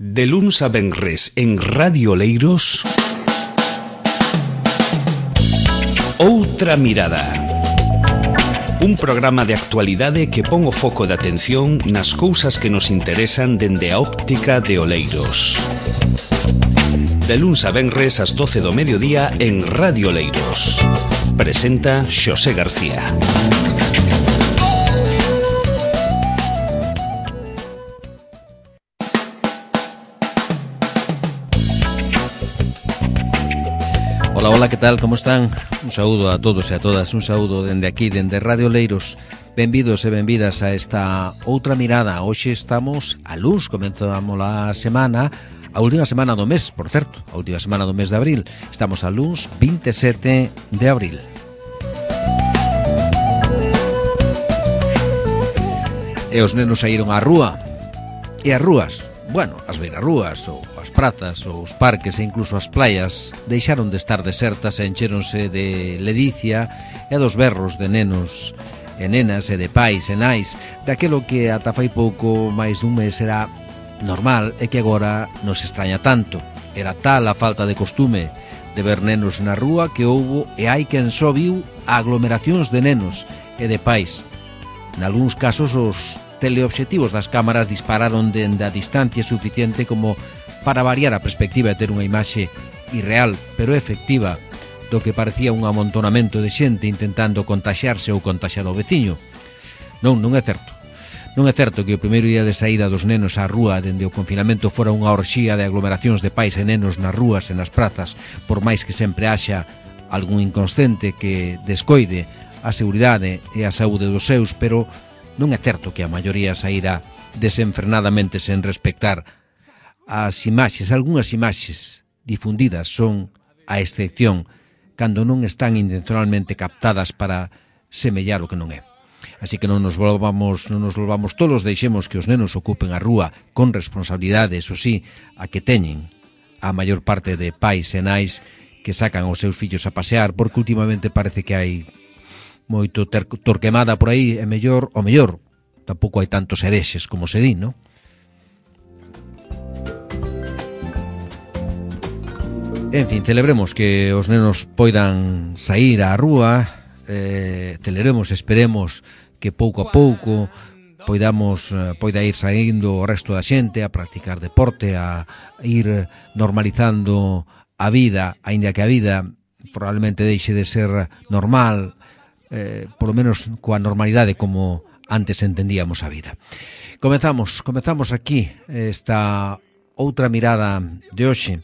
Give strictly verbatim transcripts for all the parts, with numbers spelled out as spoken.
De luns a venres en Radio Oleiros, Outra Mirada. Un programa de actualidade que pon o foco de atención nas cousas que nos interesan dende a óptica de Oleiros. De luns a venres ás doce do mediodía en Radio Oleiros. Presenta Xosé García. Hola, hola, que tal? Como están? Un saúdo a todos e a todas, un saúdo dende aquí, dende Radio Oleiros. Benvidos e benvidas a esta outra mirada. Hoxe estamos a luns, comenzamos a semana, a última semana do mes, por certo, a última semana do mes de abril. Estamos a luns vinte e sete de abril. E os nenos saíron á rúa. E as rúas, bueno, as beirarrúas ou as prazas ou os parques e incluso as playas deixaron de estar desertas e encheronse de ledicia e dos berros de nenos e nenas e de pais e nais daquelo que ata fai pouco máis dun mes era normal e que agora nos extraña tanto. Era tal a falta de costume de ver nenos na rúa que houbo e hai quen só viu aglomeracións de nenos e de pais. Nalgúns casos os teleobxectivos das cámaras dispararon dende a distancia suficiente como para variar a perspectiva e ter unha imaxe irreal, pero efectiva, do que parecía un amontonamento de xente intentando contaxiarse ou contaxiar o veciño. Non, non é certo. Non é certo que o primeiro día de saída dos nenos á rúa dende o confinamento fora unha orxía de aglomeracións de pais e nenos nas rúas e nas prazas, por máis que sempre haxa algún inconsciente que descoide a seguridade e a saúde dos seus, pero non é certo que a maioría saíra desenfrenadamente sen respectar as imaxes. Algúnas imaxes difundidas son a excepción cando non están intencionalmente captadas para semellar o que non é. Así que non nos volvamos, non nos volvamos tolos, deixemos que os nenos ocupen a rúa con responsabilidade, eso sí, a que teñen a maior parte de pais e nais que sacan os seus fillos a pasear, porque últimamente parece que hai moito ter- torquemada por aí, é mellor, o mellor, tampouco hai tantos herexes como se di, non? En fin, celebremos que os nenos poidan sair á rúa, eh, celebremos, esperemos que pouco a pouco poidamos, eh, poida ir saindo o resto da xente a practicar deporte, a ir normalizando a vida, aínda que a vida probablemente deixe de ser normal, Eh, polo menos coa normalidade como antes entendíamos a vida. Comezamos, comezamos aquí esta outra mirada de hoxe,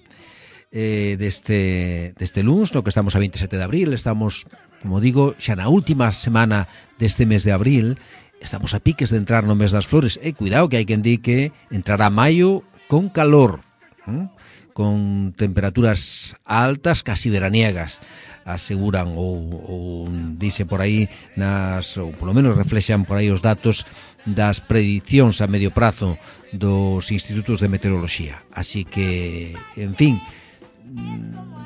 eh, deste, deste luns, no que estamos a vinte e sete de abril, estamos, como digo, xa na última semana deste mes de abril, estamos a piques de entrar no mes das flores, e eh, cuidado que hai quen di que entrará maio con calor, ¿eh? Con temperaturas altas, casi veraniegas, aseguran ou, ou dice por aí nas, ou polo menos reflexan por aí os datos das predicións a medio prazo dos institutos de meteoroloxía. Así que, en fin,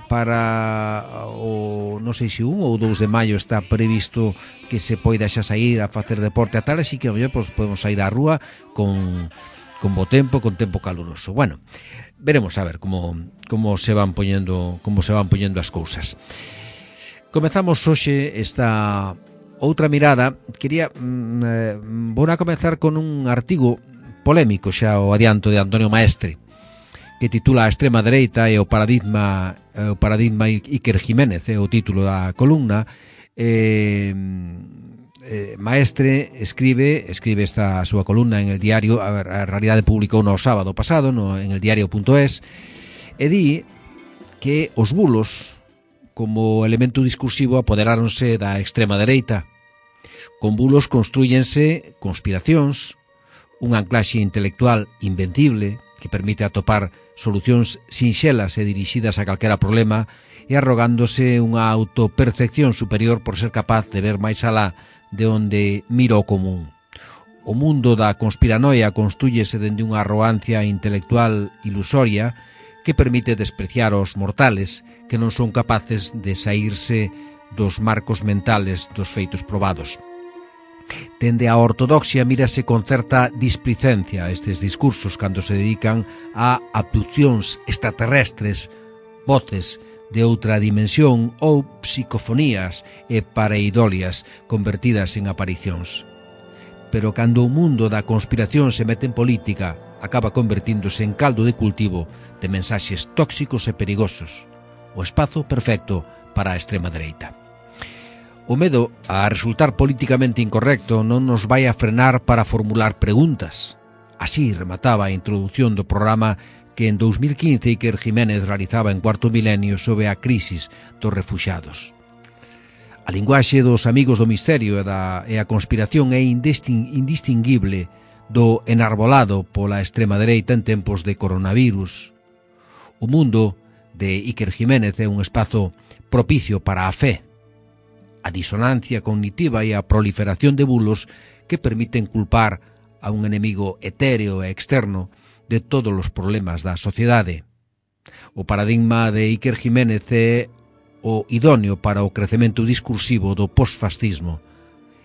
para o non sei se un ou dous de maio está previsto que se poida xa sair a facer deporte a tal, así que a mellor pues, podemos sair á rúa con con bo tempo, con tempo caluroso. Bueno, veremos a ver como como se van poñendo, como se van poñendo as cousas. Comezamos hoxe esta outra mirada. Quería mm, eh, vou a comezar con un artigo polémico, xa o adianto, de Antonio Maestre, que titula A extrema dereita e o paradigma o paradigma Iker Jiménez, é o título da columna. Eh, eh, Maestre escribe escribe esta súa columna en el diario, a, ver, a realidade publicou no sábado pasado no, en el diario punto es, e di que os bulos como elemento discursivo apoderáronse da extrema dereita. Con bulos construyense conspiracións, un anclaxe intelectual invencible que permite atopar solucións sinxelas e dirixidas a calquera problema e arrogándose unha autopercepción superior por ser capaz de ver máis alá de onde mira o común. O mundo da conspiranoia construyese dende unha arrogancia intelectual ilusoria que permite despreciar aos mortales que non son capaces de saírse dos marcos mentales dos feitos probados. Dende a ortodoxia mírase con certa displicencia estes discursos cando se dedican a abduccións extraterrestres, voces de outra dimensión ou psicofonías e pareidolias convertidas en aparicións. Pero cando o mundo da conspiración se mete en política, acaba convertíndose en caldo de cultivo de mensaxes tóxicos e perigosos. O espazo perfecto para a extrema dereita. O medo a resultar políticamente incorrecto non nos vai a frenar para formular preguntas. Así remataba a introdución do programa que en dous mil quince Iker Jiménez realizaba en Cuarto Milenio sobre a crisis dos refuxiados. A linguaxe dos amigos do misterio e, da, e a conspiración é indisting, indistinguible do enarbolado pola extrema dereita en tempos de coronavirus. O mundo de Iker Jiménez é un espazo propicio para a fe, a disonancia cognitiva e a proliferación de bulos que permiten culpar a un enemigo etéreo e externo de todos os problemas da sociedade. O paradigma de Iker Jiménez é o idóneo para o crecemento discursivo do posfascismo.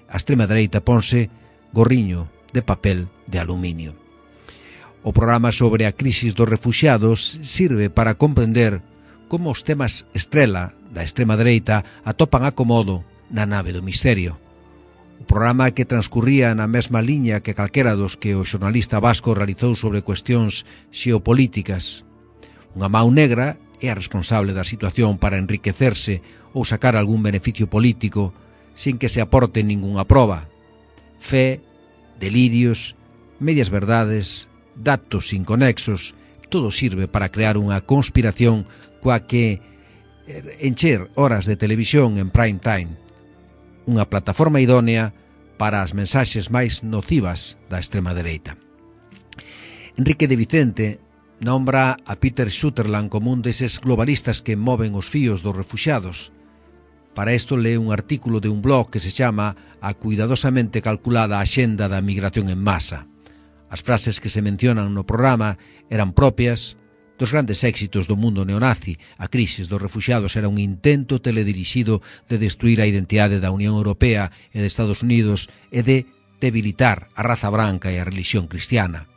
A extrema dereita ponse gorriño de papel de aluminio. O programa sobre a crisis dos refuxiados sirve para comprender como os temas estrela da extrema dereita atopan acomodo na nave do misterio. O programa que transcurría na mesma liña que calquera dos que o xornalista vasco realizou sobre cuestións xeopolíticas. Unha mau negra é a responsable da situación para enriquecerse ou sacar algún beneficio político sin que se aporte ningunha proba. Fe, delirios, medias verdades, datos inconexos, todo sirve para crear unha conspiración coa que encher horas de televisión en prime time, unha plataforma idónea para as mensaxes máis nocivas da extrema dereita. Enrique de Vicente nombra a Peter Sutherland como un deses globalistas que moven os fíos dos refuxiados. Para isto lee un artículo de un blog que se chama A cuidadosamente calculada axenda da migración en masa. As frases que se mencionan no programa eran propias dos grandes éxitos do mundo neonazi. A crisis dos refuxiados era un intento teledirixido de destruir a identidade da Unión Europea e de Estados Unidos e de debilitar a raza branca e a religión cristiana.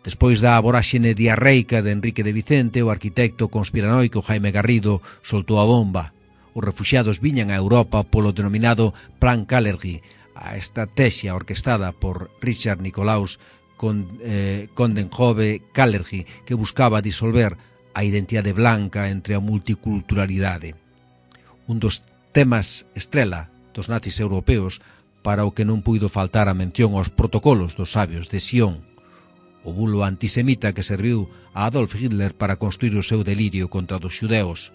Despois da voráxene diarreica de Enrique de Vicente, o arquitecto conspiranoico Jaime Garrido soltou a bomba. Os refuxiados viñan a Europa polo denominado Plan Kalergi, a estrategia orquestada por Richard Nicolaus con eh, Coudenhove Kalergi, que buscaba disolver a identidade blanca entre a multiculturalidade. Un dos temas estrela dos nazis europeos para o que non puido faltar a mención aos protocolos dos sabios de Sion, o bulo antisemita que serviu a Adolf Hitler para construir o seu delirio contra os xudeos.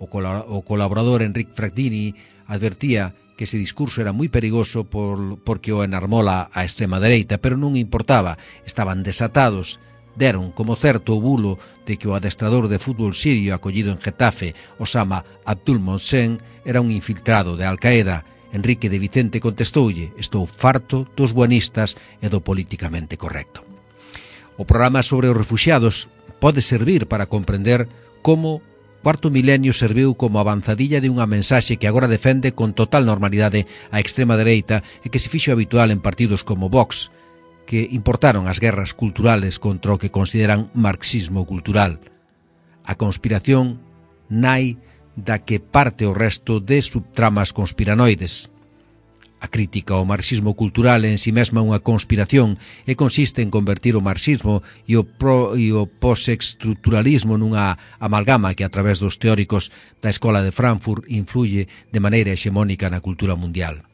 O, col- o colaborador Enric Frattini advertía que ese discurso era moi perigoso por, porque o enarmola a extrema dereita, pero non importaba, estaban desatados. Deron como certo o bulo de que o adestrador de fútbol sirio acollido en Getafe, Osama Abdul Mohsen, era un infiltrado de Al-Qaeda. Enrique de Vicente contestoulle: estou farto dos buenistas e do políticamente correcto. O programa sobre os refuxiados pode servir para comprender como Cuarto Milenio serviu como avanzadilla de unha mensaxe que agora defende con total normalidade a extrema dereita e que se fixo habitual en partidos como Vox, que importaron as guerras culturales contra o que consideran marxismo cultural. A conspiración nai da que parte o resto de subtramas conspiranoides. A crítica ao marxismo cultural en si mesma unha conspiración e consiste en convertir o marxismo e o, pro, e o postestructuralismo nunha amalgama que a través dos teóricos da Escola de Frankfurt influye de maneira hexemónica na cultura mundial.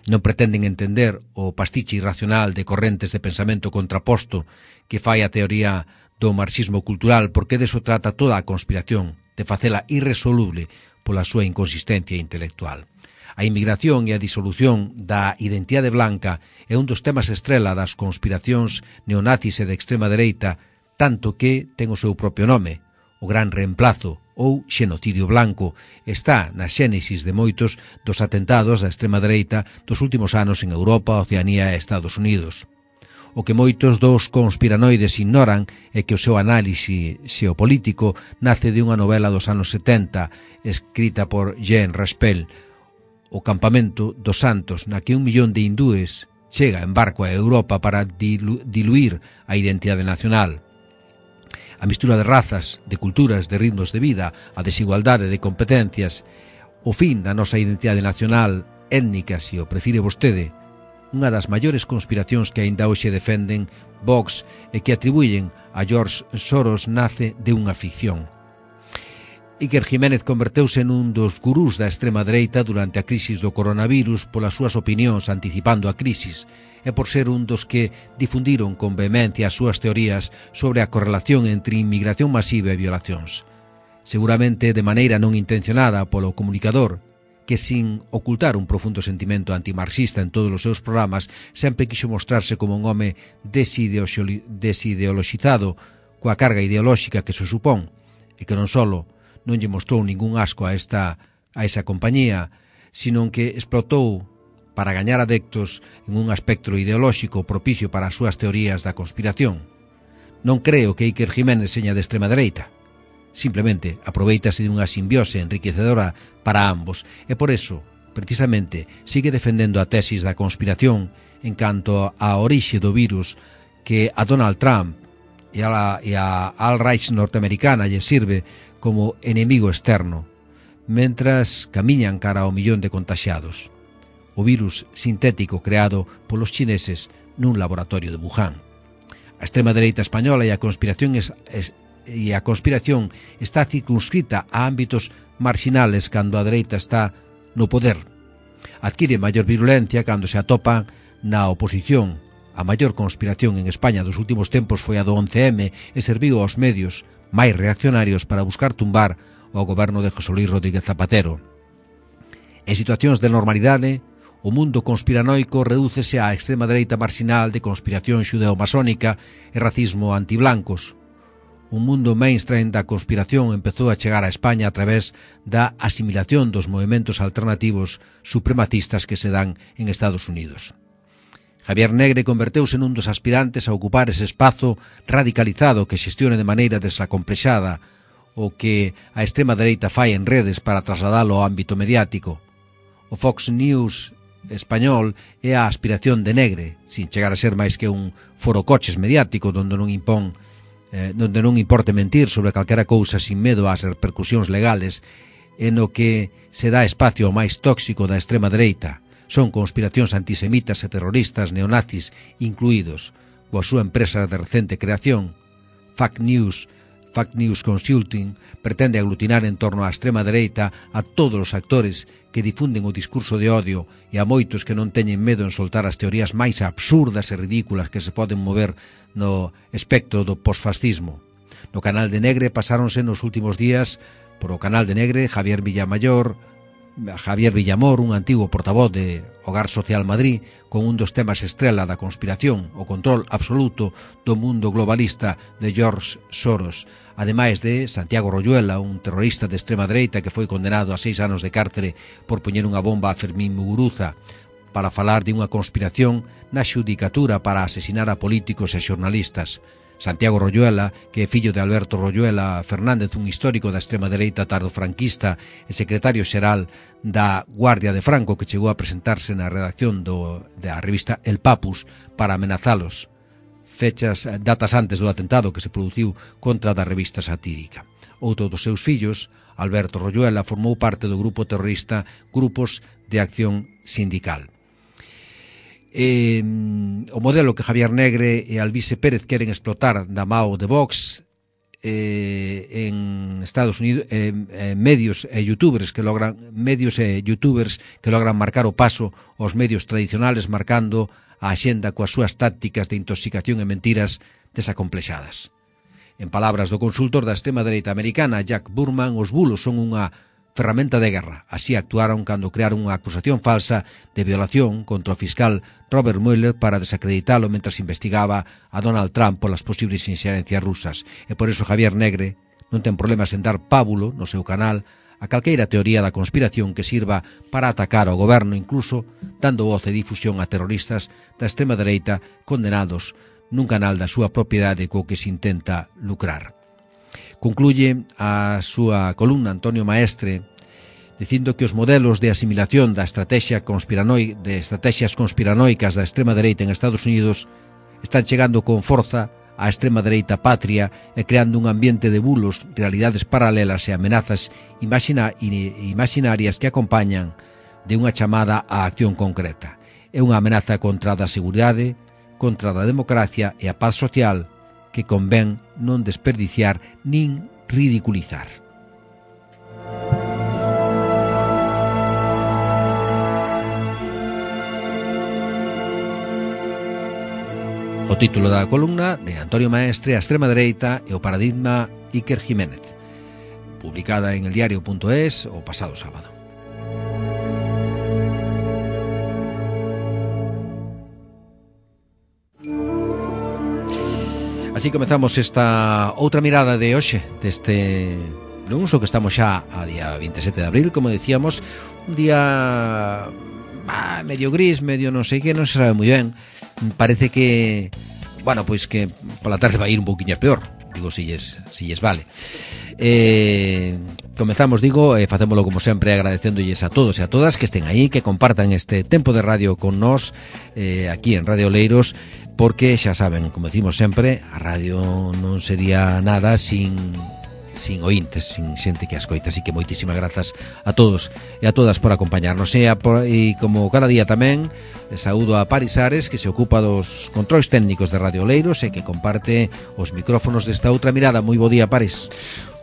Non pretenden entender o pastiche irracional de correntes de pensamento contraposto que fai a teoría do marxismo cultural, porque deso trata toda a conspiración, de facela irresoluble pola súa inconsistencia intelectual. A inmigración e a disolución da identidade blanca é un dos temas estrela das conspiracións neonazis e de extrema dereita, tanto que ten o seu propio nome. O gran reemplazo ou xenocidio blanco está na xénesis de moitos dos atentados da extrema dereita dos últimos anos en Europa, Oceanía e Estados Unidos. O que moitos dos conspiranoides ignoran é que o seu análise xeopolítico nace de unha novela dos anos setenta escrita por Jean Raspel, o campamento dos Santos, na que un millón de hindúes chega en barco a Europa para dilu diluir a identidade nacional. A mistura de razas, de culturas, de ritmos de vida, a desigualdade de competencias, o fin da nosa identidade nacional, étnica, se o prefire vostede, unha das maiores conspiracións que aínda hoxe defenden Vox e que atribuyen a George Soros nace de unha ficción. Iker Jiménez converteuse nun dos gurús da extrema dereita durante a crisis do coronavirus polas súas opinións anticipando a crisis e por ser un dos que difundiron con vehemencia as súas teorías sobre a correlación entre inmigración masiva e violacións. Seguramente de maneira non intencionada polo comunicador, que sin ocultar un profundo sentimento antimarxista en todos os seus programas, sempre quixo mostrarse como un home desideologizado coa carga ideolóxica que se supón, e que non solo non lle mostrou ningún asco a, esta, a esa compañía, sino que explotou para gañar adeptos en un aspecto ideolóxico propicio para as súas teorías da conspiración. Non creo que Iker Jiménez seña de extrema dereita. Simplemente aproveitase de unha simbiose enriquecedora para ambos e por eso, precisamente, sigue defendendo a tesis da conspiración en canto á orixe do virus que a Donald Trump e a, e a alt-right norteamericana lle sirve como enemigo externo, mentras camiñan cara ao millón de contaxiados. O virus sintético creado polos chineses nun laboratorio de Wuhan. A extrema dereita española e a conspiración es, es, e a conspiración está circunscrita a ámbitos marxinales cando a dereita está no poder. Adquire maior virulencia cando se atopa na oposición. A maior conspiración en España dos últimos tempos foi a do once eme e serviu aos medios máis reaccionarios para buscar tumbar o goberno de José Luis Rodríguez Zapatero. En situacións de normalidade, o mundo conspiranoico redúcese á extrema dereita marxinal de conspiración xudeo-masónica e racismo antiblancos. Un mundo mainstream da conspiración empezou a chegar a España a través da asimilación dos movementos alternativos supremacistas que se dan en Estados Unidos. Javier Negre converteuse nun dos aspirantes a ocupar ese espazo radicalizado que xestione de maneira desacomplexada o que a extrema dereita fai en redes para trasladalo ao ámbito mediático. O Fox News español é a aspiración de Negre, sin chegar a ser máis que un forocoches mediático donde non impón, eh, donde non importe mentir sobre calquera cousa sin medo ás repercusións legales, en o que se dá espacio ao máis tóxico da extrema dereita. Son conspiracións antisemitas e terroristas neonazis incluídos, coa súa empresa de recente creación, Fact News, Fact News Consulting, pretende aglutinar en torno á extrema dereita a todos os actores que difunden o discurso de odio e a moitos que non teñen medo en soltar as teorías máis absurdas e ridículas que se poden mover no espectro do posfascismo. No canal de Negre pasáronse nos últimos días por o canal de Negre Javier Villamayor, Javier Villamor, un antigo portavoz de Hogar Social Madrid, con un dos temas estrela da conspiración, o control absoluto do mundo globalista de George Soros, ademais de Santiago Royuela, un terrorista de extrema dereita que foi condenado a seis anos de cárcere por poñer unha bomba a Fermín Muguruza, para falar de unha conspiración na xudicatura para asesinar a políticos e xornalistas. Santiago Royuela, que é fillo de Alberto Royuela Fernández, un histórico da extrema dereita tardofranquista e secretario xeral da Guardia de Franco, que chegou a presentarse na redacción do, da revista El Papus para amenazalos, fechas, datas antes do atentado que se produciu contra da revista satírica. Outro dos seus fillos, Alberto Royuela, formou parte do grupo terrorista Grupos de Acción Sindical. Eh, o modelo que Javier Negre e Alvise Pérez queren explotar da mao de Vox eh, en Estados Unidos, eh, eh, medios e youtubers que logran medios e youtubers que logran marcar o paso aos medios tradicionales, marcando a axenda coas súas tácticas de intoxicación e mentiras desacomplexadas. En palabras do consultor da extrema dereita americana Jack Burman, os bulos son unha ferramenta de guerra. Así actuaron cando crearon unha acusación falsa de violación contra o fiscal Robert Mueller para desacreditalo mentras investigaba a Donald Trump polas posibles inxerencias rusas. E por iso Javier Negre non ten problemas en dar pábulo no seu canal a calqueira teoría da conspiración que sirva para atacar ao goberno, incluso dando voz e difusión a terroristas da extrema dereita condenados nun canal da súa propiedade co que se intenta lucrar. Concluye a súa columna Antonio Maestre dicindo que os modelos de asimilación da estrategia conspiranoi, de estrategias conspiranoicas da extrema dereita en Estados Unidos están chegando con forza á extrema dereita patria e creando un ambiente de bulos, realidades paralelas e amenazas imagina, imaginarias que acompañan de unha chamada á acción concreta. É unha amenaza contra a seguridade, contra a democracia e a paz social que convén non desperdiciar nin ridiculizar. O título da columna de Antonio Maestre, a extrema dereita e o paradigma Iker Jiménez, publicada en eldiario punto es o pasado sábado. Así comezamos esta outra mirada de hoxe deste luns, o que estamos xa a día veintisiete de abril, como decíamos, un día ah, medio gris, medio non sei que, non se sabe moi ben. Parece que, bueno, pois que pola tarde vai ir un pouquiño peor, digo, si lles, si lles vale. Eh, comezamos, digo, e eh, facémolo como sempre agradecéndolles a todos e a todas que estén aí, que compartan este tempo de radio con nós eh, aquí en Radio Oleiros, porque xa saben, como decimos sempre, a radio non sería nada sin sin ointes, sin xente que as coita. Así que moitísimas grazas a todos e a todas por acompañarnos. E, a, por, e como cada día tamén, saúdo a Paris Ares, que se ocupa dos controis técnicos de Radio Oleiros e que comparte os micrófonos desta outra mirada. Moi bo día, Paris.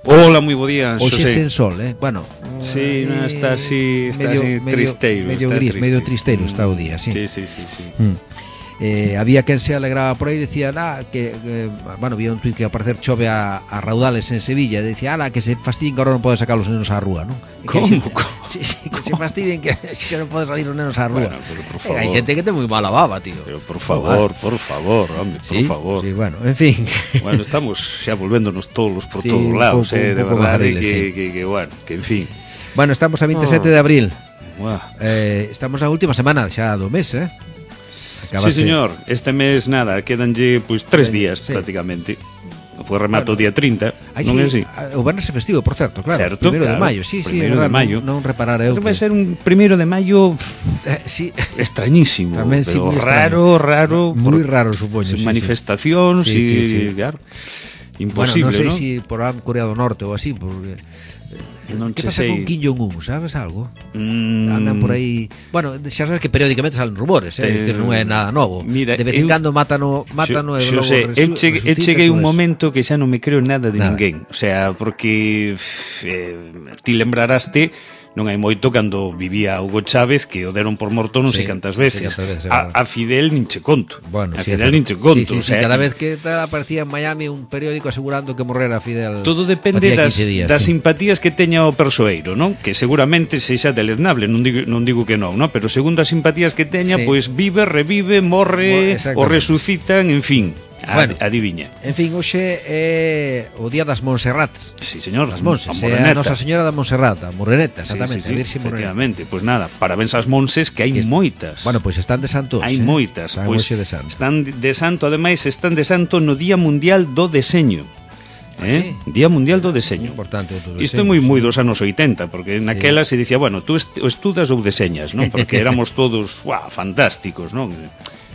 Hola, moi bo día, Xosé. Hoxe sen sol, eh? Bueno, sí, eh, no, está así, está medio, así tristeiro, medio está gris, triste. medio tristeiro está o día, sí. Sí, sí, sí, sí. Mm. Eh, había quen se alegraba por aí, decía, ah, que, eh, bueno, había un tuit que ao parecer chove a, a raudales en Sevilla, e decía, ala, que se fastidien que agora non poden sacar os nenos á rúa, non? Como? Que, sí, sí, que se fastidien que xa non poden salir os nenos á rúa. Bueno, pero por favor. Hai xente que ten moi mala baba, tío. Pero por favor, por favor, hombre, por sí, favor. Sí, bueno, en fin. Bueno, estamos xa volvéndonos todos por sí, todos lados, poco, eh, de verdade barriles, que, sí. que, que, bueno, que en fin. Bueno, estamos a veintisiete de abril. Wow. Eh, estamos na última semana xa do mes, eh? Acabase... Sí, señor, este mes nada, quedanlle pois tres sí, días sí. prácticamente. Foi remato o bueno, día trinta, Ay, non sí, é así? O Viernes é festivo, por certo, claro. Certo, Primeiro claro, de maio, sí, sí, primeiro verdad, de maio. Non, non reparara eu. Vai ser un primeiro de maio eh, sí. extrañísimo, Tamén, sí, pero moi raro, raro, moi por, raro, supoño, sin sí, manifestacións, sí, sí, y, sí. claro, Bueno, imposible, non sei ¿no? si por Corea do Norte ou así, porque Non que che pasa sei. con Kim Jong-un, sabes algo? Mm. Andan por aí. Bueno, xa sabes que periódicamente salen rumores, eh? Te... Decir, non é nada novo. Mira, de vez en eu... cando mátano, mátano e logo sé, eu, cheguei, eu cheguei un eso. momento que xa non me creo nada de Nada. ninguén. O sea, porque eh, ti lembraraste non hai moito cando vivía Hugo Chávez, que o deron por morto non Sí, sei cantas veces. sí, cantas veces, a, a Fidel nin che conto. Bueno, a sí, Fidel sí, nin che conto. Sí, sí, o sí, sea, cada vez que aparecía en Miami un periódico asegurando que morrera Fidel. todo depende das, días, das sí. simpatías que teña o persoeiro, non? Que seguramente sexa deleznable, non digo, non digo que non, non? Pero segundo as simpatías que teña, Sí. pois vive, revive, morre, Exactamente. o resucitan, en fin. Bueno. Adiviña. En fin, hoxe é o día das Monserrats. Sí, señor, As Monses, a é a Nosa Señora da Monserrat, a Moreneta, exactamente, sí, sí, sí, a Virxe Moreneta. efectivamente, pois pues nada, parabéns ás monses que hai Que est- moitas. Bueno, pois están de santos. hai eh? moitas, Están pois hoxe de santo. están de santo, ademais están de santo no Día Mundial do Deseño. Eh? Ah, sí? Día Mundial do Deseño. Importante o todo Isto é moi moi dos anos oitenta, porque naquela se dicía, bueno, tú est estudas ou deseñas, non? Porque éramos todos, guau, fantásticos, non?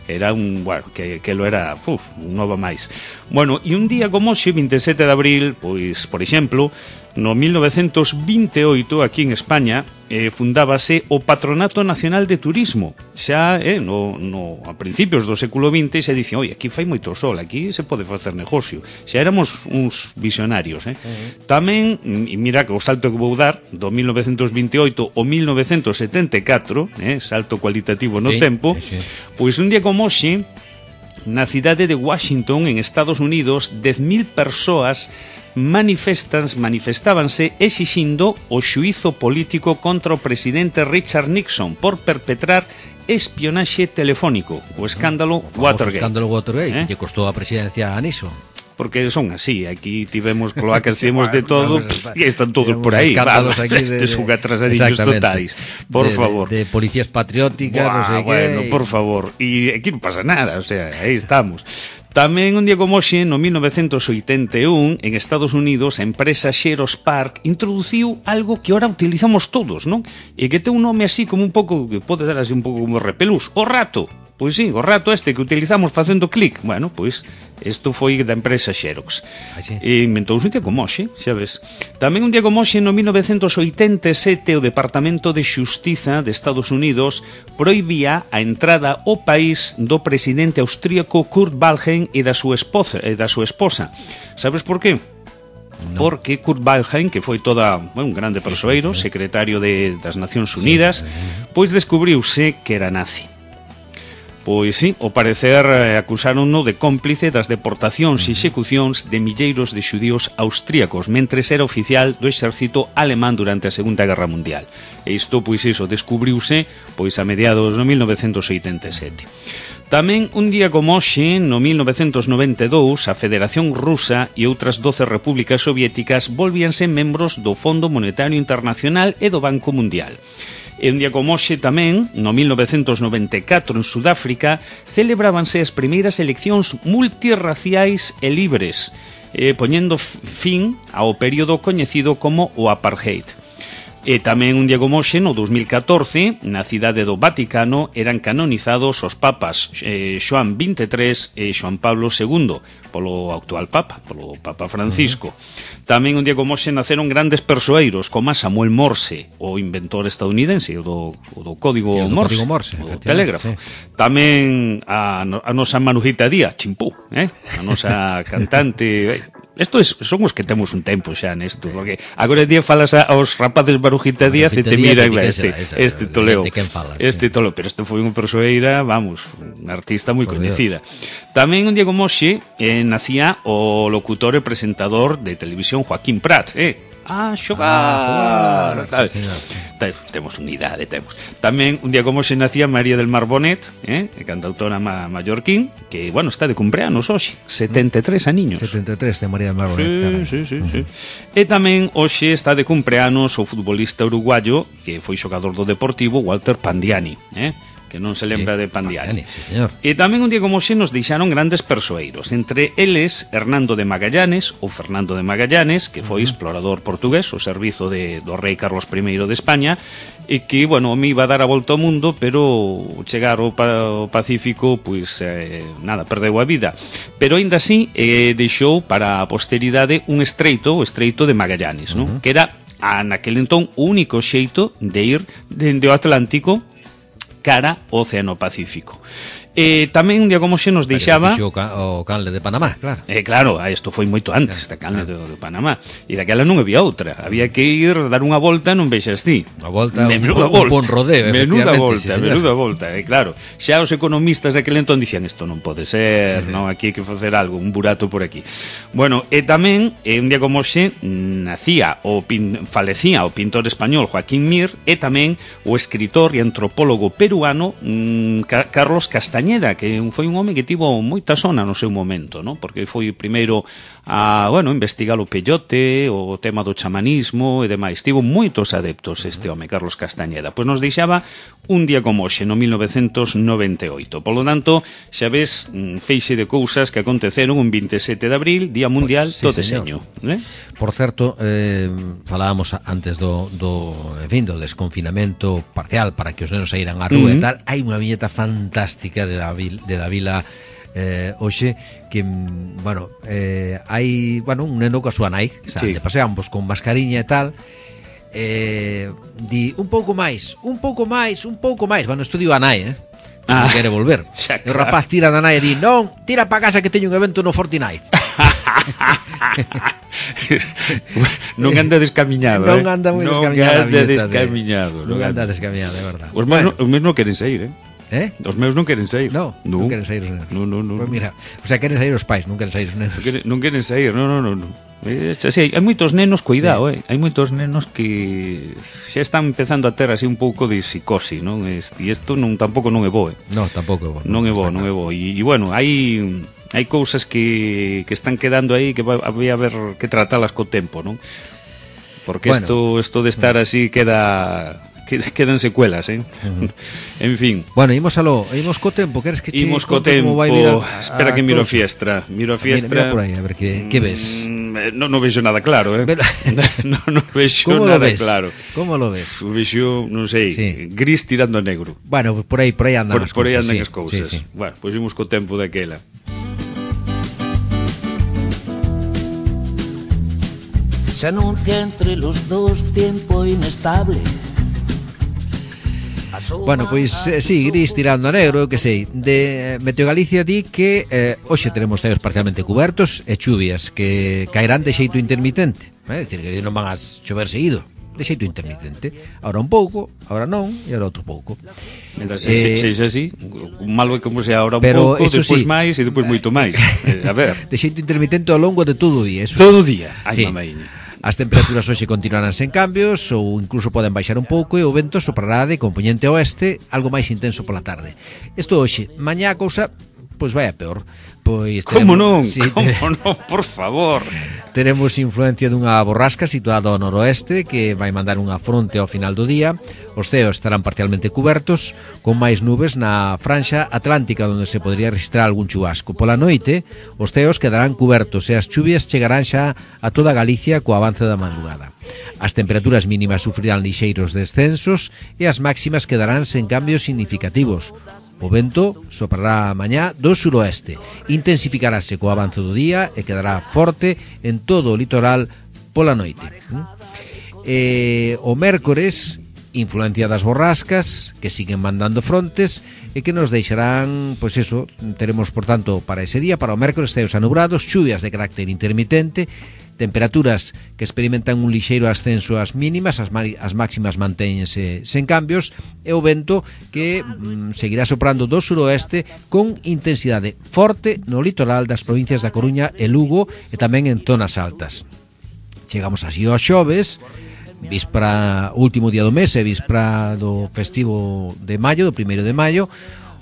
Era un, bueno, que, que lo era, uf, un nova máis. Bueno, e un día como hoxe, veintisiete de abril, pois, por exemplo, no mil novecentos vinte e oito, aquí en España, eh, fundábase o Patronato Nacional de Turismo. Xa, eh, no, no, a principios do século vinte, se dicen, oi, aquí fai moito sol, aquí se pode facer negocio. Xa éramos uns visionarios, eh. Uh-huh. Tamén, e mira que o salto que vou dar, do mil novecentos vinte e oito ao mil novecentos setenta e catro, eh, salto cualitativo no Sí, tempo, sí, sí. pois un día como hoxe, na cidade de Washington, en Estados Unidos, dez mil persoas manifestas, manifestábanse exixindo o xuízo político contra o presidente Richard Nixon por perpetrar espionaxe telefónico, o escándalo O Watergate. escándalo Watergate, Eh? que lle costou a presidencia a Nixon. Porque son así, aquí tivemos cloacas, Sí, tivemos de bueno, todo, sabes, e están todos tivemos por aí. escándalos Vamos, aquí de- estes son atrasadillos exactamente. totais. Por de, favor. De, de policías patrióticas, Buah, non sei bueno, que. por favor. Y aquí non pasa nada, o sea, aí estamos. Tamén un día como hoxe, no mil novecentos oitenta e un, en Estados Unidos, a empresa Xerox Park introduciu algo que ora utilizamos todos, non? E que ten un nome así como un pouco, que pode dar así un pouco como repelús, o rato. Pois sí, o rato este que utilizamos facendo clic. Bueno, pois, isto foi da empresa Xerox. E inventouse un día como hoxe, xa ves. Tamén un día como hoxe, no mil novecentos oitenta e sete, o Departamento de Xustiza de Estados Unidos proibía a entrada ao país do presidente austríaco Kurt Waldheim e da súa esposa, e da súa esposa. Sabes por qué? No. Porque Kurt Waldheim, que foi toda, bueno, un grande persoeiro, secretario de, das Nacións Unidas, pois descubriuse que era nazi. Pois sí, ao parecer acusárono de cómplice das deportacións e execucións de milleiros de xudíos austríacos mentres era oficial do exército alemán durante a Segunda Guerra Mundial. E isto, pois iso, descubriuse pois a mediados do mil novecentos oitenta e sete. Tamén un día como hoxe, no mil novecentos noventa e dous, a Federación Rusa e outras doce repúblicas soviéticas volvíanse membros do Fondo Monetario Internacional e do Banco Mundial. E un día como hoxe tamén, no mil novecentos noventa e catro, en Sudáfrica, celebrábanse as primeiras eleccións multirraciais e libres, eh, poñendo fin ao período coñecido como o Apartheid. E tamén un día como hoxe, no dos mil catorce, na cidade do Vaticano, eran canonizados os papas eh, Xoán veintitrés e Xoán Pablo segundo, polo actual papa, polo Papa Francisco. Uh-huh. Tamén un día como hoxe naceron grandes persoeiros, como Samuel Morse, o inventor estadounidense, o do, o do código sí, Morse, código Morse, o telégrafo. Sí. Tamén a, a nosa Manujita Díaz, Chimpú, eh? a nosa cantante... Isto es, son os que temos un tempo xa nesto, porque agora día falas aos rapaces Marujita Díaz e te miran, este, este toleo, este toleo, pero este foi unha persoeira, vamos, unha artista moi coñecida. Tamén un día como hoxe eh, nacía o locutor e presentador de televisión Joaquín Prat, eh? A xogar, ah, sí, temos unidade, temos. Tamén un día como se nacía María del Mar Bonet, eh, cantautora ma mallorquín, que, bueno, está de cumpleanos hoxe, setenta e tres aniños. setenta e tres de María del Mar Bonet. Sí, sí, sí, uh -huh. sí. E tamén hoxe está de cumpleanos o futbolista uruguayo que foi xogador do Deportivo, Walter Pandiani, eh? que non se lembra sí, de Pandiani. Sí, señor. E tamén un día como hoxe nos deixaron grandes persoeiros, entre eles Hernando de Magallanes, ou Fernando de Magallanes, que foi uh -huh. explorador portugués, o servizo de, do rei Carlos primeiro de España, e que, bueno, me iba a dar a volta ao mundo, pero chegar ao, pa, ao Pacífico, pois, eh, nada, perdeu a vida. Pero, aínda así, eh, deixou para a posteridade un estreito, o estreito de Magallanes, uh -huh. non? Que era, a, naquele entón, o único xeito de ir dende o Atlántico cara ao Océano Pacífico. E tamén un día como xe nos deixaba o, ca o canle de Panamá, claro. Eh, claro, isto foi moito antes da canle claro. de, de Panamá. E daquela non había outra. Había que ir, dar unha volta, non vexas ti. Unha volta, menuda un, volta. un bon rodeo, menuda volta, sí, menuda volta. E claro, xa os economistas daquele entón dicían isto non pode ser, uh -huh. non, aquí hai que facer algo, un burato por aquí. Bueno, e tamén, eh, un día como xe, nacía o pin, falecía o pintor español Joaquín Mir e tamén o escritor e antropólogo peruano mm, Carlos Castañeda, que foi un home que tivo moita sona no seu momento, ¿no? Porque foi primeiro a, bueno, investigar o peyote, o tema do chamanismo e demais. Tivo moitos adeptos este home, Carlos Castañeda. Pois nos deixaba un día como hoxe, no mil novecentos noventa e oito. Por lo tanto, xa ves, feixe de cousas que aconteceron un vinte e sete de abril, Día Mundial sí, do Deseño. Eh? Por certo, eh, falábamos antes do, do, en fin, do desconfinamento parcial para que os nenos saíran á rúa uh -huh. e tal. Hai unha viñeta fantástica de David de Davila eh, hoxe que, bueno, eh, hai, bueno, un neno coa súa nai que sí. de paseamos con mascariña e tal eh, di un pouco máis, un pouco máis, un pouco máis, bueno, estudio a nai, eh ah, quere volver xa, claro. O rapaz tira da nai e di non, tira pa casa que teño un evento no Fortnite. Non anda descamiñado, non anda moi descamiñado, non anda descamiñado, non anda descamiñado, é verdade. Os meus, bueno. os meus non queren sair, eh? Eh? Os meus non queren sair. No, non, non queren sair os nenos. No, no, no. Pues mira, o sea, queren sair os pais, non queren sair os nenos. Non queren, non queren sair, no, no, no, no. É, sí, hai moitos nenos, cuidado, sí. eh. Hai moitos nenos que xa están empezando a ter así un pouco de psicosi, non? E isto non tampouco non é bo, eh. No, tampouco é bo. Non é bo, non é bo. E, e bueno, hai hai cousas que, que están quedando aí que vai a haber que tratalas co tempo, non? Porque isto bueno. isto de estar así queda quedan secuelas, eh? Uh-huh. En fin. Bueno, imos aló, imos co tempo, queres que che imos co conte tempo, como vai vir a, espera a que miro a cosa? fiestra, miro a fiestra. Mira, mira por aí, a ver que, que ves. Mm, no, no vexo nada claro, eh? Pero... no, no vexo ¿Cómo nada lo ves? claro. Como lo ves? Vexo, non sei, Sí. gris tirando a negro. Bueno, por aí, por aí andan Por, as por aí cousas. andan sí, as cousas. sí, sí. Bueno, pois imos co tempo daquela. Se anuncia entre los dos tiempo inestable. Bueno, pois, eh, sí, gris tirando a negro, eu que sei. De eh, Meteo Galicia di que eh, hoxe teremos ceos parcialmente cubertos e chuvias que caerán de xeito intermitente. É dicir, que non van a chover seguido, de xeito intermitente. Ahora un pouco, ahora non, e ahora outro pouco. Mentre Eh, se, se, se así, o malo é como se ahora un pero pouco, eso despois sí, máis e despois moito máis. Eh, a ver, De xeito intermitente ao longo de todo o día. Eso todo o día. Ai, Sí. mamaiña. As temperaturas hoxe continuarán sen cambios ou incluso poden baixar un pouco e o vento soprará de componente oeste algo máis intenso pola tarde. Isto hoxe, mañá a cousa pois vai a peor. Pois Como non? sí, Como non? Por favor. Teremos influencia dunha borrasca situada ao noroeste que vai mandar unha fronte ao final do día. Os ceos estarán parcialmente cubertos con máis nubes na franxa atlántica onde se podría registrar algún chubasco. Pola noite, os ceos quedarán cubertos e as chuvias chegarán xa a toda Galicia co avance da madrugada. As temperaturas mínimas sufrirán lixeiros descensos e as máximas quedarán sen cambios significativos. O vento soprará mañá do suroeste, intensificarase co avance do día e quedará forte en todo o litoral pola noite. E o mércores, influencia das borrascas que siguen mandando frontes e que nos deixarán, pois eso, teremos por tanto para ese día, para o mércores ceos anubrados, chuvias de carácter intermitente, temperaturas que experimentan un lixeiro ascenso ás mínimas, as, as máximas mantéñense sen cambios e o vento que mm, seguirá soprando do suroeste con intensidade forte no litoral das provincias da Coruña e Lugo e tamén en zonas altas. Chegamos así ao xoves, víspera, último día do mes e víspera do festivo de maio, do primeiro de maio.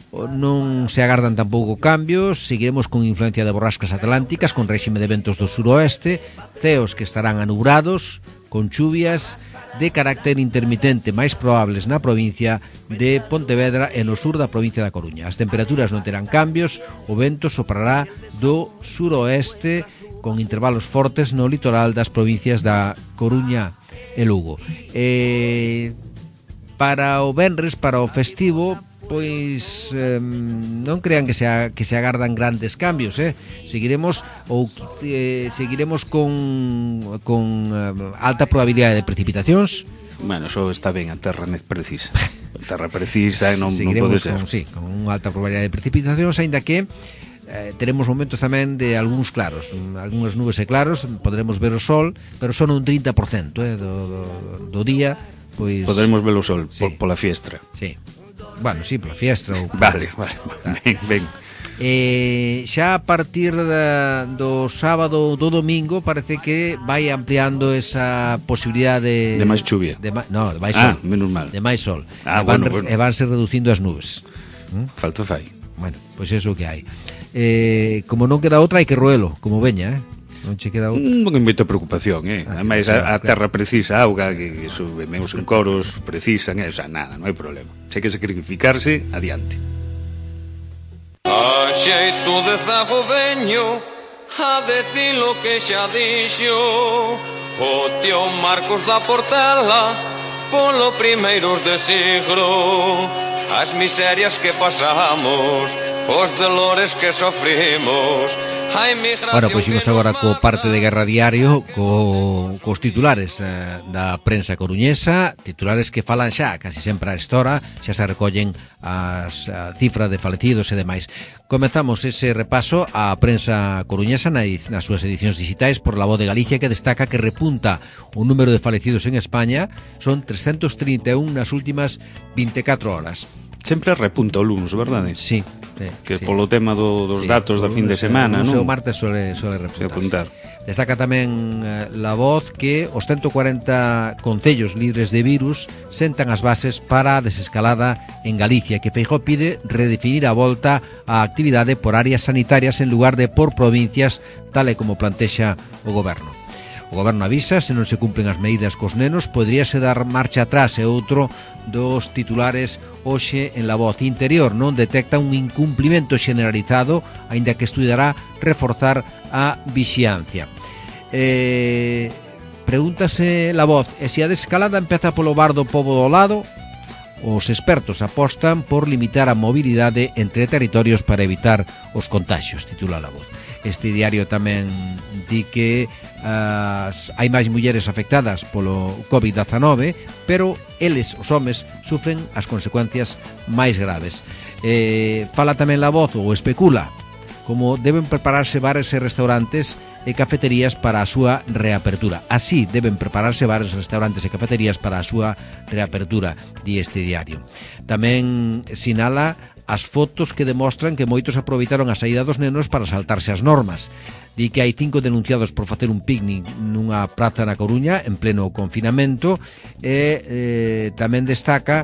Non se agardan tampouco cambios, seguiremos con influencia de borrascas atlánticas con réxime de ventos do suroeste, ceos que estarán anubrados con chuvias de carácter intermitente máis probables na provincia de Pontevedra e no sur da provincia da Coruña. As temperaturas non terán cambios, o vento soprará do suroeste con intervalos fortes no litoral das provincias da Coruña e Lugo. E para o venres, para o festivo, pois eh, non crean que se, a, que se agardan grandes cambios, eh? Seguiremos ou eh, seguiremos con con eh, alta probabilidade de precipitacións. Bueno, eso está ben, a terra precisa. A terra precisa e non, non Seguiremos pode ser. con, sí, con unha alta probabilidade de precipitacións, aínda que eh, teremos momentos tamén de algúns claros, algúns nubes e claros, podremos ver o sol, pero son un trinta por cento eh, do, do, do día, pois Poderemos ver o sol sí. por, pola fiestra. Sí. Bueno, sí, pola fiestra ou Vale, vale, vale. Ben, ben. Eh, xa a partir da, do sábado do domingo parece que vai ampliando esa posibilidade De máis chuvia. de ma, no, de máis Ah, sol, menos mal. de máis sol Ah, e, van, bueno, bueno. e vanse reducindo as nubes. ¿Mm? Falta fai. Bueno, pois pues eso que hai. Eh, como non queda outra hai que roelo, como veña, eh? Non che queda outra. Non hai moita preocupación, eh? Ah, Ademais, claro, a, a claro. terra precisa auga, que, que sube meus encoros precisan, eh? O sea, nada, non hai problema. Se hai que sacrificarse, adiante. A xeito de zago veño a decir lo que xa dixo o tío Marcos da Portela polo primeiros de siglo. As miserias que pasamos, os dolores que sofrimos. Bueno, pois imos agora co parte de Guerra Diario co, cos titulares eh, da prensa coruñesa, titulares que falan xa casi sempre a esta hora, xa se recollen as a cifra de falecidos e demais. Comezamos ese repaso á prensa coruñesa na, nas súas edicións digitais por La Voz de Galicia, que destaca que repunta o número de falecidos en España, son trescentos trinta e un nas últimas vinte e catro horas. Sempre repunta o lunes, verdade? Sí, sí, Que sí. polo tema do, dos Sí, datos da o fin de lunes, semana, o non? seu martes sole, sole repuntar. apuntar. Destaca tamén eh, La Voz que os ciento cuarenta concellos libres de virus sentan as bases para a desescalada en Galicia, que Feijóo pide redefinir a volta á actividade por áreas sanitarias en lugar de por provincias, tal e como plantexa o goberno. O goberno avisa, se non se cumplen as medidas cos nenos, poderíase dar marcha atrás, e outro dos titulares hoxe en La Voz. Interior non detecta un incumplimento generalizado, aínda que estudará reforzar a vixiancia. Eh, pregúntase La Voz, e se a desescalada empeza polo bar do pobo do lado? Os expertos apostan por limitar a mobilidade entre territorios para evitar os contaxios, titula La Voz. Este diario tamén di que as, hai máis mulleres afectadas polo covid dezanove, pero eles, os homes, sufren as consecuencias máis graves. Eh, fala tamén La Voz, ou especula, como deben prepararse bares e restaurantes e cafeterías para a súa reapertura. Así deben prepararse bares, restaurantes e cafeterías para a súa reapertura, di este diario. Tamén sinala as fotos que demostran que moitos aproveitaron a saída dos nenos para saltarse as normas. Di que hai cinco denunciados por facer un picnic nunha praza na Coruña en pleno confinamento, e eh, tamén destaca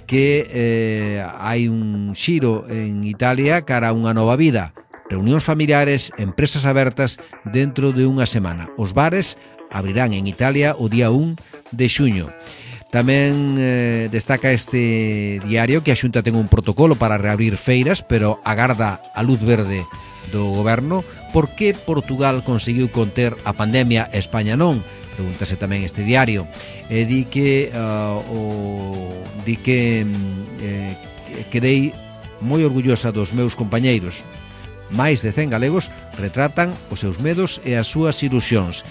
que eh, hai un xiro en Italia cara a unha nova vida. Reunións familiares, empresas abertas dentro de unha semana. Os bares abrirán en Italia o día un de xuño. Tamén eh, destaca este diario que a Xunta ten un protocolo para reabrir feiras, pero agarda a luz verde do goberno. Por que Portugal conseguiu conter a pandemia e España non? Pregúntase tamén este diario. E di que uh, o, di que eh, quedei moi orgullosa dos meus compañeiros. Máis de cen galegos retratan os seus medos e as súas ilusións,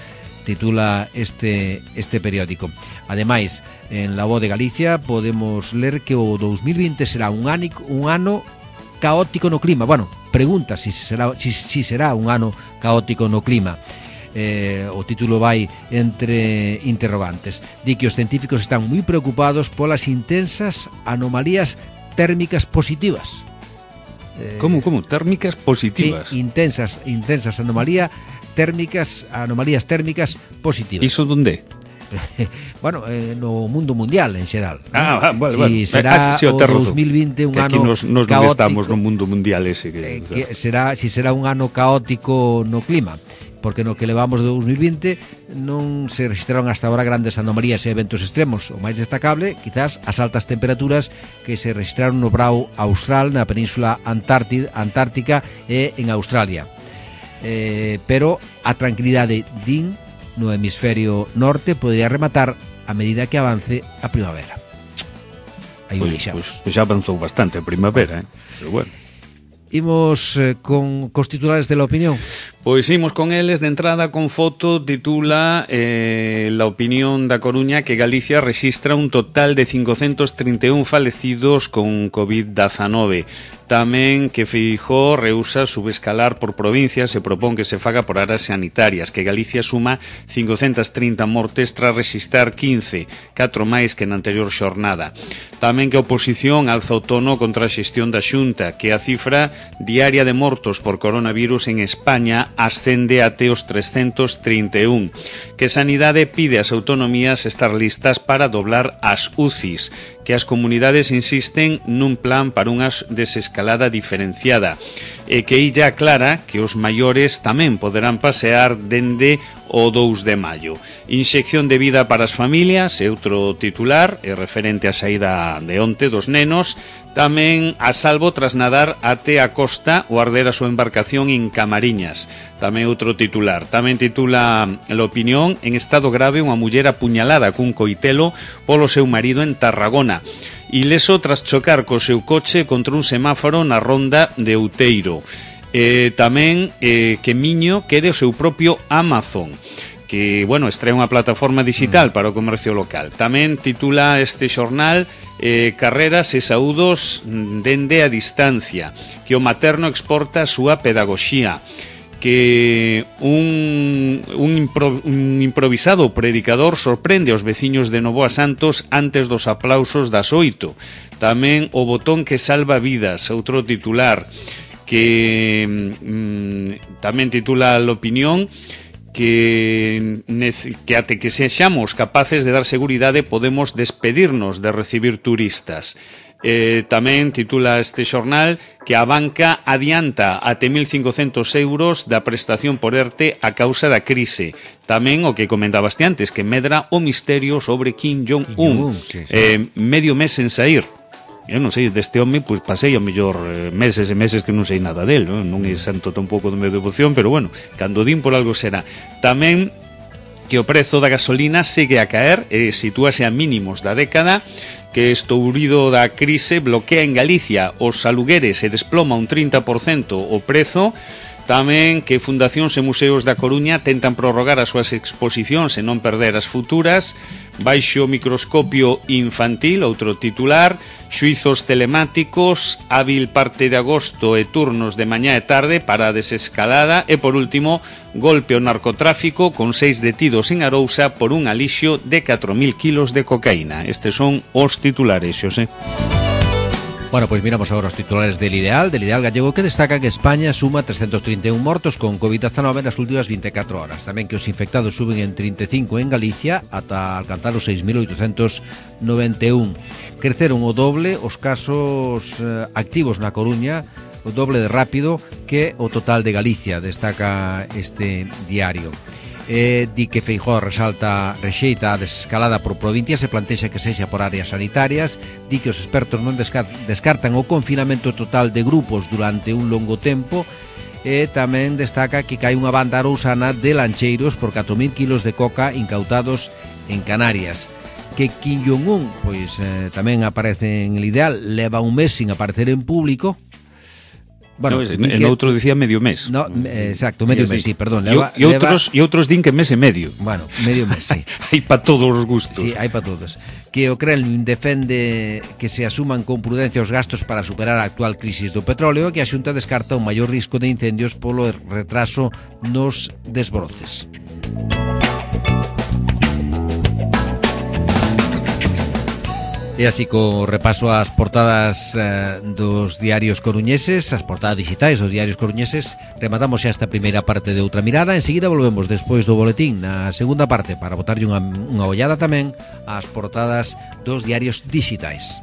titula este, este periódico. Ademais, en La Voz de Galicia podemos ler que o dos mil vinte será un, ánico, un ano caótico no clima. Bueno, pregunta si será, si, si será un ano caótico no clima. Eh, o título vai entre interrogantes. Di que os científicos están moi preocupados polas intensas anomalías térmicas positivas. Como, como? Térmicas positivas? Sí, intensas, intensas anomalías térmicas, anomalías térmicas positivas. Iso donde? Bueno, eh, no mundo mundial en xeral. Ah, ¿no? vale, si vale. será ah, sí, o dos mil vinte un que aquí ano nos, nos non estamos no mundo mundial ese que, eh, que será, si será un ano caótico no clima, porque no que levamos de dos mil vinte non se registraron hasta ahora grandes anomalías e eventos extremos. O máis destacable, quizás, as altas temperaturas que se registraron no brao austral, na península antártica e en Australia. Eh, pero a tranquilidade, din, no hemisferio norte podría rematar a medida que avance a primavera. Aí o deixamos. Pois, pois xa avanzou bastante a primavera, eh? Pero bueno. Imos eh, con cos titulares de La Opinión. Pois imos con eles de entrada con foto. Titula eh, La Opinión da Coruña que Galicia rexistra un total de cincocentos trinta e un falecidos con covid dezanove. Tamén que Feijóo rehúsa subescalar por provincias e propón que se faga por áreas sanitarias, que Galicia suma cincocentas trinta mortes tras rexistrar quince, catro máis que na anterior xornada. Tamén que a oposición alza o tono contra a xestión da Xunta, que a cifra diaria de mortos por coronavirus en España ascende até os trescentos trinta e un, que Sanidade pide ás autonomías estar listas para doblar as U C Is, que as comunidades insisten nun plan para unha desescalada diferenciada, e que illa aclara que os maiores tamén poderán pasear dende o dous de maio. Inxección de vida para as familias é outro titular, é referente á saída de onte dos nenos. Tamén a salvo tras nadar até a costa ou arder a súa embarcación en Camariñas. Tamén outro titular. Tamén titula La Opinión: en estado grave unha muller apuñalada cun coitelo polo seu marido en Tarragona. Ileso tras chocar co seu coche contra un semáforo na ronda de Outeiro. Eh, tamén eh, que Miño quere o seu propio Amazon, que, bueno, extrae unha plataforma digital para o comercio local. Tamén titula este xornal eh, Carreras e saúdos dende a distancia, que o materno exporta a súa pedagoxía, que un, un, impro, un improvisado predicador sorprende aos veciños de Novoa Santos antes dos aplausos das oito. Tamén o botón que salva vidas, outro titular, que mm, tamén titula La Opinión, que, que até que sexamos capaces de dar seguridade podemos despedirnos de recibir turistas. Eh, tamén titula este xornal que a banca adianta até mil cincocentos euros da prestación por ERTE a causa da crise. Tamén o que comentabaste antes, que medra o misterio sobre Kim Jong-un. Sí, sí. Eh, medio mes sen sair. Eu non sei, deste home, pois pasei ao mellor eh, meses e meses que non sei nada del, non, non é santo tampouco do meu devoción, pero bueno, cando din por algo será. Tamén que o prezo da gasolina segue a caer e sitúase a mínimos da década, que estourido da crise bloquea en Galicia os alugueres e desploma un trinta por cento o prezo. Tamén que fundacións e museos da Coruña tentan prorrogar as súas exposicións e non perder as futuras. Baixo microscopio infantil, outro titular. Xuizos telemáticos, hábil parte de agosto e turnos de mañá e tarde para a desescalada. E por último, golpe ao narcotráfico con seis detidos en Arousa por un alixo de catro mil kilos de cocaína. Estes son os titulares, Xosé. Bueno, pois miramos agora os titulares del Ideal, del Ideal gallego, que destaca que España suma trescentos trinta e un mortos con covid dezanove nas últimas vinte e catro horas. Tamén que os infectados suben en trinta e cinco en Galicia ata alcanzar os seis mil oitocentos noventa e un. Creceron o doble os casos eh, activos na Coruña, o doble de rápido que o total de Galicia, destaca este diario. Eh, di que Feijóo resalta rexeita a desescalada por provincias e plantexa que sexa por áreas sanitarias. Di que os expertos non descartan o confinamento total de grupos durante un longo tempo. E tamén destaca que cae unha banda arousana de lancheiros por catro mil kilos de coca incautados en Canarias. Que Kim Jong-un, pois eh, tamén aparece en el Ideal, leva un mes sin aparecer en público. Bueno, no, en que... outro dicía medio mes. No, exacto, medio mes, sí, perdón. E leva... outros, leva... outros din que mes e medio. Bueno, medio mes, sí. Hai para todos os gustos. Sí, hai para todos. Que o Kremlin defende que se asuman con prudencia os gastos para superar a actual crisis do petróleo e que a Xunta descarta un maior risco de incendios polo retraso nos desbroces. E así co repaso ás portadas eh, dos diarios coruñeses, as portadas digitais dos diarios coruñeses, rematamos xa esta primeira parte de Outra Mirada. Enseguida volvemos despois do boletín na segunda parte para botarlle unha, unha ollada tamén ás portadas dos diarios digitais.